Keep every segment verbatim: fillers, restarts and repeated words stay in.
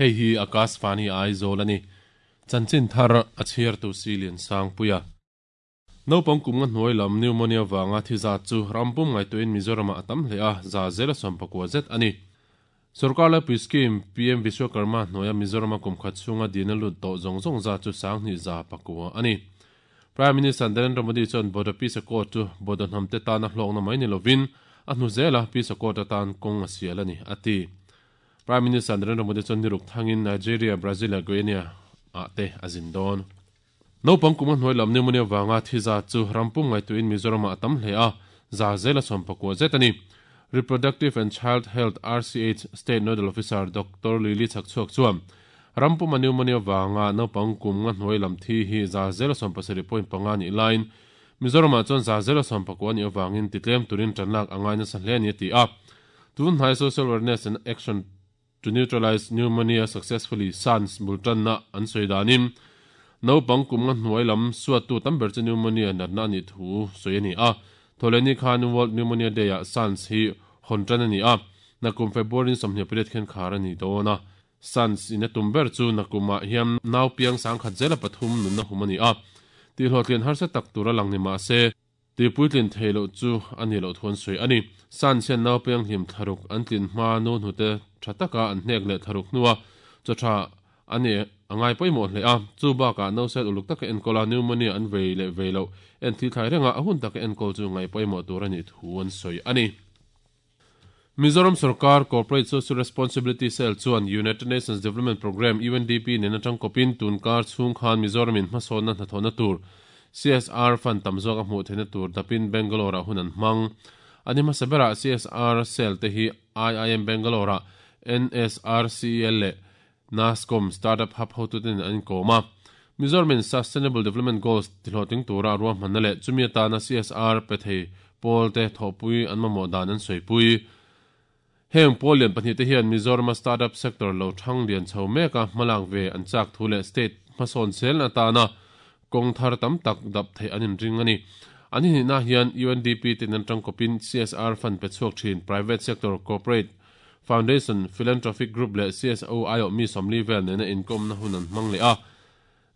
Hei hi Akashvani Aizawl ani. Chanchin thar a chhiar tu silian sangpuia. Naupang kum nga hnuai lam pneumonia wanga thi za chu rampum ngai tuin Mizoram a tam hle a za zela sawmpakua zet ani. Sarkar laipui scheme P M Vishwakarma hnuaia Mizoram a kum khat chhunga dina lut tawh zawng zawng za chu sanghnih za pakua ani. Prime Minister Narendra Modi chuan Bodo Peace Accord chu Bodo hnam te tana hlawkna mai ni lovin a hnu zela Peace Accord atan kawng a sial ani ati. Prime Minister Narendra Modi chuan niruk thangin Nigeria, Brazil leh Guinea a te a zin dawn. Naupang kum a hnuai lam pneumonia wanga thi za chu rampum ngai tuin Mizoram a tam hle a za zela sawmpakua zet ani. Reproductive and Child Health R C H State Nodal Officer Doctor Lily Chakchuak chuan rampum a pneumonia wanga naupang kum nga hnuai lam thi hi za zela sawmpasarih point panga ni line Mizoram ah chuan za zela sawmpakua ni awangin titlem turin tanlak angai nasa hle ani ti a. Tun hnai Social Awareness and Action to Neutralize Pneumonia Successfully SANS bultan na an soidanin naupang kum nga hnuai lam suat tu tam ber chu pneumonia natna ani thu soi ani a. Tholeni khan World Pneumonia Day a SANS hi hontan ani a. Nakum February sawmhnih pariat khen khar ani dawna. SANS in a tum ber chu nakuma hiam nau piang sang khat zela pathum nunna hum ani a. Ti hlawhtlin harsa tak tura lang ni ma se ti puitlin theilo chu ani lo thon soi ani. SANS hian nau piang hlim tharuk an tlin hma nu hnute thataka an hnek leh tharuk hnuwa chaw tha ani angai pawimawh hle a. Chu bakah no set uluk taka enkawl a pneumonia an vei leh vei lo en thil thlai renga a hun taka enkawl chu ngai pawimawh tur ani thu an sawi ani. Mizoram Sarkar Corporate Social Responsibility Cell chuan United Nations Development Programme U N D P nena tangkawpin tunkar chhung khan Mizoram in hmasawnna hnathawhna tur C S R fund tam zawk a hmuh theihna tur dapin Bangalore ah hun an hmang. Ani hmasa berah C S R Cell te hi I I M Bangalore ah N S R C L leh NASCOM Startup Hub hotuten an inkawm a. Mizoram in Sustainable Development Goals tihlawhtling tura ruahmanna leh chumi atana C S R pe thei pawl te thawhpui an mamawh dan an sawipui. Heng pawl lian pahnih te hian Mizoram a startup sector lo thang lian chho mek a hmalak ve an chak thu leh state hmasawn sel atana kawng thar tam tak dap thei an inring ani. Ani hnihna hian U N D P ten an tangkawpin C S R fund pe chhuak thin private sector corporate foundation philanthropic group leh C S O I O mi sawmli vel nena inkawmna hun an hmang leh a.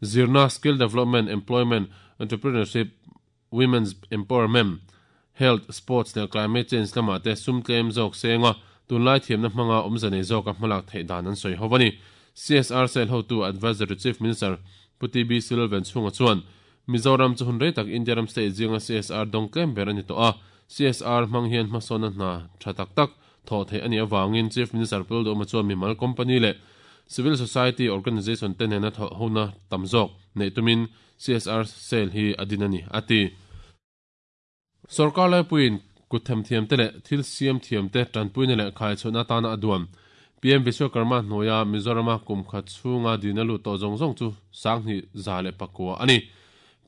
Zirna skill development employment entrepreneurship women's empowerment health sports leh climate change lama te sum tlem zawk senga tunlai thiamna hmanga awmza nei zawk a hmalak theih dan an sawi ho ani. C S R Cell hotu advisor to Chief Minister Puti B Silvan chhunga chuan Mizoram chu hun rei tak India ram state zinga C S R dawng tlem ber ani tawh a. C S R hmang hian hmasawnna hna tha tak tak thaw thei ani awangin Chief Minister Pul chuan mimal company leh civil society organization te nena thaw hona tam zawk nei tumin C S R Cell hi adin ani ati. Sarkar laipuiin kuthem thiam te leh thil siam thiam te tanpuina leh khai chhuna tana aduam P M Vishwakarma hnuaia Mizorama kum khat chhunga dina lut tawh zawng zawng chu sanghnih za leh pakua ani.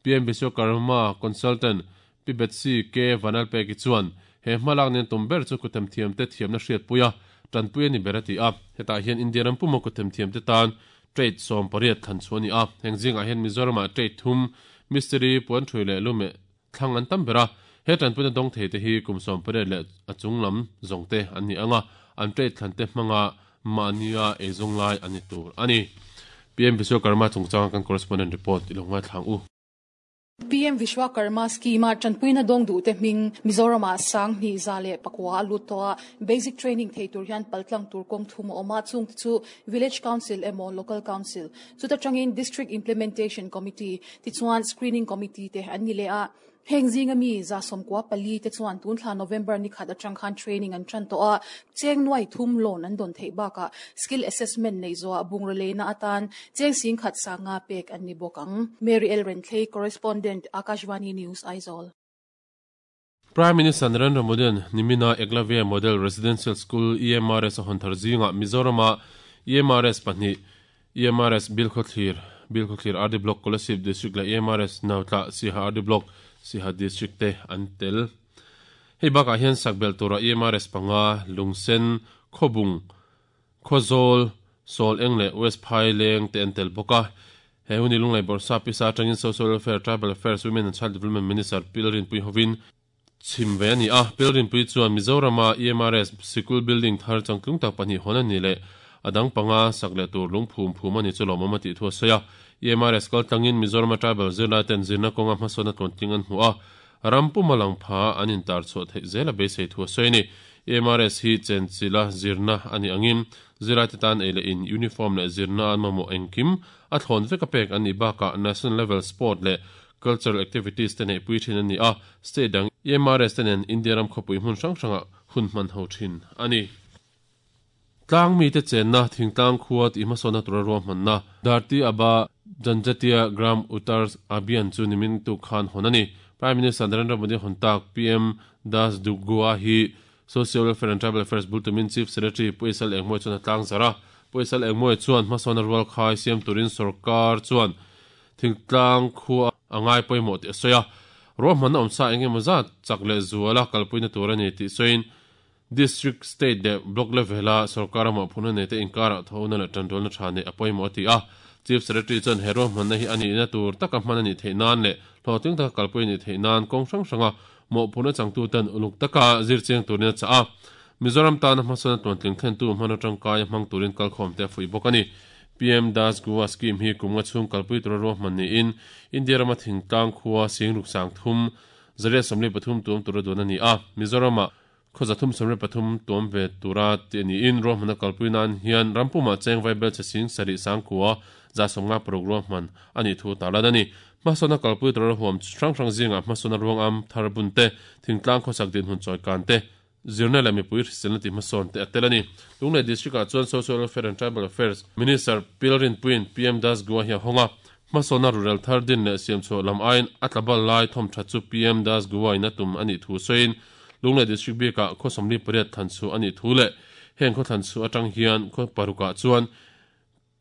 P M Vishwakarma consultant P Betsy K Vanalpeki chuan he hmalak nen tum ber chu kuthem thiam te thiamna hriat puia tanpui ani ber ati a. Hetah hian India ram puma kuthem thiam te tan trade sawm pariat thlan chu ani a. Heng zingah hian Mizorama trade thum mystery puan thui leh lume thlang an tam bera. He tanpuina dawng thei te hi kum sawm pariat leh a chung lam zawng te an ni anga an trade thlan te hmanga mahnia eizawng lai ani tur ani. P M Vishwakarma chungchang kan correspondent report ilonga thlang u. P M Vishwakarma scheme a tanpuina dawng du te hming Mizoram ah sanghnih za leh pakua a lut tawh a. Basic training thei tur hian paltlang tur kawng thum a awm a. Chung te chu Village Council emaw Local Council chuta tangin District Implementation Committee tichuan Screening Committee te an ni leh a. Heng zinga mi za sawmkua pali te chuan tun thla November ni khat atang khan training an tan tawh a. Cheng nuai thum loan an dawn theih bakah skill assessment nei zawh bungraw leina atan cheng sing khat sanga pek an ni bawk ang. Mary L Renthlei, correspondent, Akashvani News, Aizawl. Prime Minister Narendra Modi nimina Eklavya Model Residential School E M R S a hawn thar zinga Mizorama E M R S pahnih E M R S Bilkhawthlir Bilkhawthlir R D Block Kolasib District leh E M R S Nautla Siha R D Block Siha District te an tel. Hei bakah hian sakbel tura E M R S panga Lungsen Khobung Khawzawl Sawl Eng leh West Phaileng te an tel bawk a. He huni lunglai bawrhsa pisa atangin Social Welfare Tribal Affairs Women and Child Development Minister Pilrin Pui hovin chim ve ani a. Pilrin Pui chuan Mizorama E M R S Sikul Building thar changtlung tak pahnih hawn ani leh adang panga sakle tur lungphum phum ani chu lomama ti thu soya E M R S kal tangin Mizoram tribal zirlai ten zirna konga hmasona tlonting an hmu a rampu malang pha anin tar chu thei zela beisei thu soini E M R S hi chenchila zirna ani angin zirlai te tan ele in uniform le zirna an mamo engkim a thlon veka pek ani baka national level sport le cultural activities te nei pui thin ani a state dang E M R S ten India ram khopui hmun hrang hranga hun man ho thin ani tlang mi te chenna thingtlang khuat imasona tura ro manna Dharti Aba Janjatia Gram Uttar Abhiyan chu nimin tu khan honani Prime Minister Narendra Modi hontak P M Das Dugua hi Social Welfare and Tribal Affairs Bultumin Chief Secretary Puisal Engmoi chuan tlang zara Puisal Engmoi chuan hmasona rual khai siam turin sarkar chuan thingtlang khua angai poimo te soya ro man omsa enge maza chakle zuala kalpuina turani ti soin district state de block level a sarkar ma phuna ne te inkara thona la tandol na thane apoimo ti a Chief Secretary chuan hero man hi ani na tur taka man ani theinan le hloting ta kalpui ni theinan kong hrang hranga mo phuna changtu tan uluk taka zircheng turina cha a Mizoram tan hmasona tuantling thlen tu hmana tangkai hmang turin kalkhom te fui bokani P M Das Goa scheme hi kumnga chung kalpui tur ro man ni in India rama thingtlang khuwa singruk sang thum zaria samle pathum tum tur don ani a Mizorama khoza thum samle pathum tom ve tura te ni in ro mana kalpui nan hian rampuma cheng vaibel che sing sari sang khuwa za somnga program man ani thu taladani masona kalpui tur huam hrang hrang zinga masona ruang am tharbun te thingtlang khosak din hun choi kan te zirna la mipui hriselna ti hmasawn te atelani Lunglei district ah chuan Social Welfare and Tribal Affairs Minister Pilrin Puin P M Das Goa hi honga hmasawna rural thar din leh siam chhuah lam aiin a tlabal lai thawm tha chu P M Das Goa in a tum ani thu sawiin Lunglei district bikah khaw sawmli pariat than chu ani thu leh heng khaw than chu atang hian khaw parukah chuan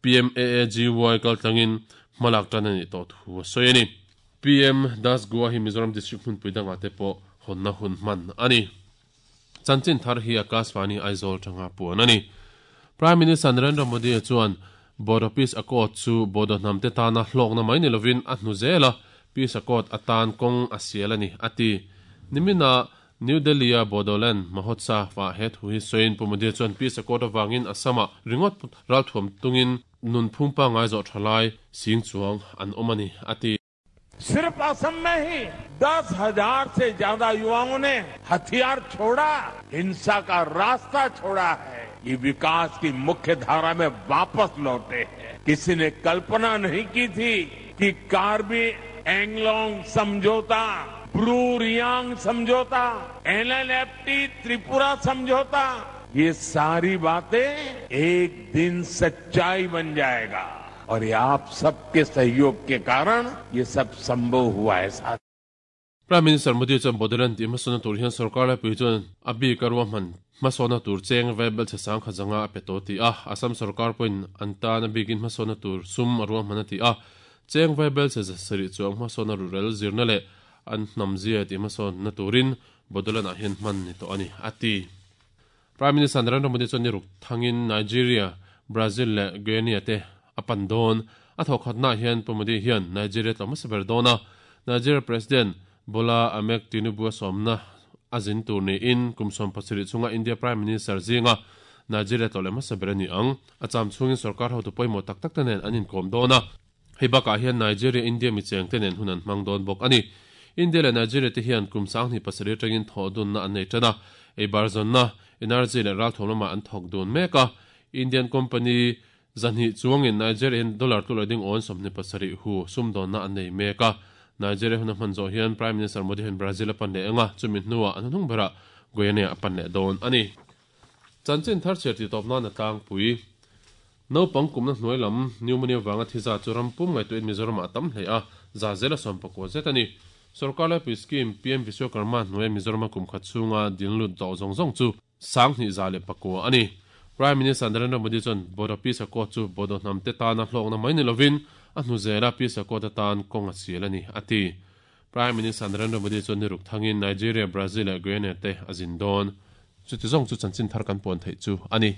P M A A G Y kaltlangin hmalak tan ani tawh thu sawi ani P M Das Goa hi Mizoram district hmunpui dangah te pawh hawnna hun hman ani Chanchin thar hi Akashvani Aizawl tanga puan ani Prime Minister Narendra Modi chuan Bodo Peace Accord chu Bodo hnamte tana hlawkna mai ni lovin a hnu zela Peace Accord atan kawng a sial ani ati nimina New Delhi a Bodoland Mahotsav ah he thu hi sawiin Pu Modi chuan Peace Accord awangin Assama ringot ralthuam tungin nun phungpa ngai zawh thalai sing chuang an awm ani ati सिर्फ असम में ही दस हजार से ज्यादा युवाओं ने हथियार छोड़ा, हिंसा का रास्ता छोड़ा है, ये विकास की मुख्य धारा में वापस लौटे हैं। किसी ने कल्पना नहीं की थी कि कार्बी एंगलोंग समझौता, ब्रू रियांग समझौता, N L F T Tripura समझौता, ये सारी बातें एक दिन सच्चाई बन जाएगा और ये आप सबके सहयोग के कारण ये सब संभव हुआ है। साथ Prime Minister Modi chuan Bodoland ti hmasawna tur hian sarkar laipui chuan a bik a ruahman hmasawna tur cheng vaibel che sang kha zanga a pe tawh ti a Assam sarkar pawhin an tan a bikin hmasawna tur sum a ruahman a ti a cheng vaibel che sarih chuang hmasawna rural zirna leh an hnamzia ti hmasawna turin Bodoland ah hian hman ni tawh ani ati Prime Minister Narendra Modi chuan ni ruk thangin Nigeria, Brazil leh Guinea te apan don a thawkhatna hian Pu Modi hian Nigeria tlawm hmasa ber dawn a Nigeria President Bola Ahmed Tinubu sawmna a zin tur niin kum sawm pasarih chunga India Prime Minister zinga Nigeria tlawm hmasa ber ani ang a cham chungin sarkar hotu pawimawh tak tak te nen an inkawm dawn a hei bakah hian Nigeria India mi cheng te nen hun an hmang dawn bawk ani India leh Nigeria te hian kum sanghnih pasarih atangin thawh dunna an nei tan a ei bar zawnna energy leh ralthawm lamah an thawk dun mek a Indian company zanhi chuangin Nigerian dollar tu ding on sawmhnih pasarih hu sumdawnna an nei mek a Nigeria hun a hman zawh hian Prime Minister Modi hian Brazil a pan leh anga chumi hnuah an hnung berah Guyana a pan leh dawn ani chanchin thar chher ti tawp nan a tlangpui naupang kumna hnuai lam pneumonia wanga thiza chu rampum ngaihtuahin Mizoram ah tam hle a za zela sawm pakua zet ani sarkar laipui scheme P M Vishwakarma hnuai Mizoram a kum khat chhunga dinlut tawh zawng zawng chu sanghnih za leh pakua ani Prime Minister Narendra Modi chuan Bodo Peace Accord chu Bodo hnamte tana hlawkna mai ni lovin a hnu zela Peace Accord atan kawng a sial ani ati Prime Minister Narendra Modi chuan ni ruk thangin Nigeria, Brazil leh Guyana te a zin dawn chuti zawng chu chanchin thar kan puan theih chu ani.